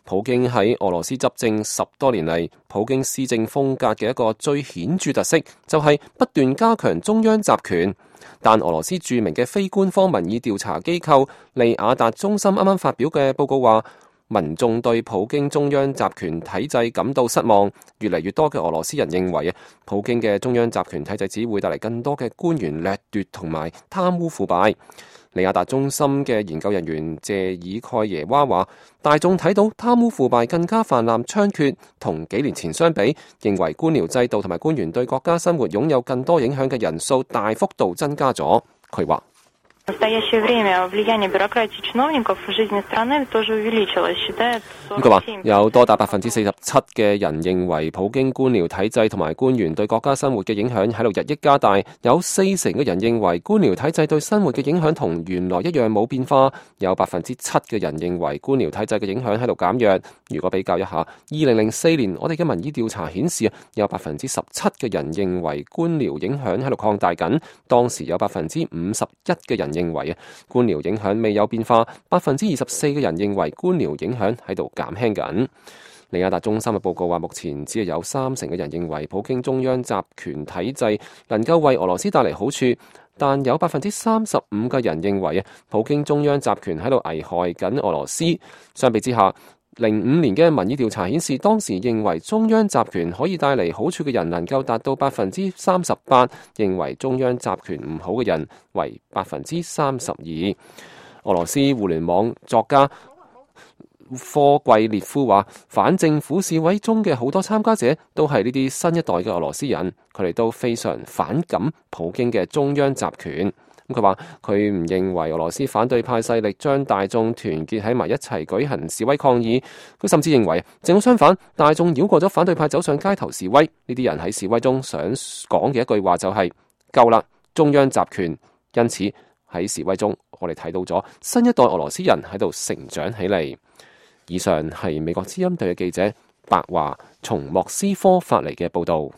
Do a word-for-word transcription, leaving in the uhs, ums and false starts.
普京喺俄羅斯執政十多年嚟，普京施政風格嘅一個最顯著特色就係不斷加強中央集權。但俄羅斯著名嘅非官方民意調查機構利雅達中心啱啱發表嘅報告話，民眾對普京中央集權體制感到失望。越嚟越多嘅俄羅斯人認為啊，普京嘅中央集權體制只會帶嚟更多嘅官員掠奪同埋貪污腐敗。利雅達中心嘅研究人員謝爾蓋耶娃話，大眾睇到貪污腐敗更加泛濫猖獗，同幾年前相比，認為官僚制度同埋官員對國家生活擁有更多影響嘅人數大幅度增加咗。佢話佢話有多達百分之四十七嘅人認為普京官僚體制同埋官員對國家生活嘅影響喺度日益加大，有四成嘅人認為官僚體制對生活嘅影響同原來一樣冇變化，有百分之七嘅人認為官僚體制嘅影響喺度減弱。如果比較一下，二零零四年我哋嘅民意調查顯示，有百分之十七嘅人認為官僚影響喺度擴大緊，當時有百分之五十一嘅人認為啊，官僚影響未有變化，百分之二十四嘅人認為官僚影響喺度減輕緊。利雅達中心嘅報告話，目前只係有三成嘅人認為普京中央集權體制能夠為俄羅斯帶嚟好處，但有百分之三十五嘅人認為啊，普京中央集權喺度危害緊俄羅斯。相比之下，零五年嘅民意調查顯示，當時認為中央集權可以帶嚟好處嘅人能夠達到百分之三十八，認為中央集權唔好嘅人為百分之三十二。俄羅斯互聯網作家科季列夫話，反政府示威中嘅好多參加者都係呢啲新一代嘅俄羅斯人，佢哋都非常反感普京嘅中央集權。咁佢話佢唔認為俄羅斯反對派勢力將大眾團結喺埋一齊舉行示威抗議，佢甚至認為正好相反，大眾繞過咗反對派走上街頭示威。呢啲人喺示威中想講嘅一句話就係夠啦，中央集權。因此喺示威中，我哋睇到咗新一代俄羅斯人喺度成長起嚟。以上係美國之音隊嘅記者白華從莫斯科發嚟嘅報道。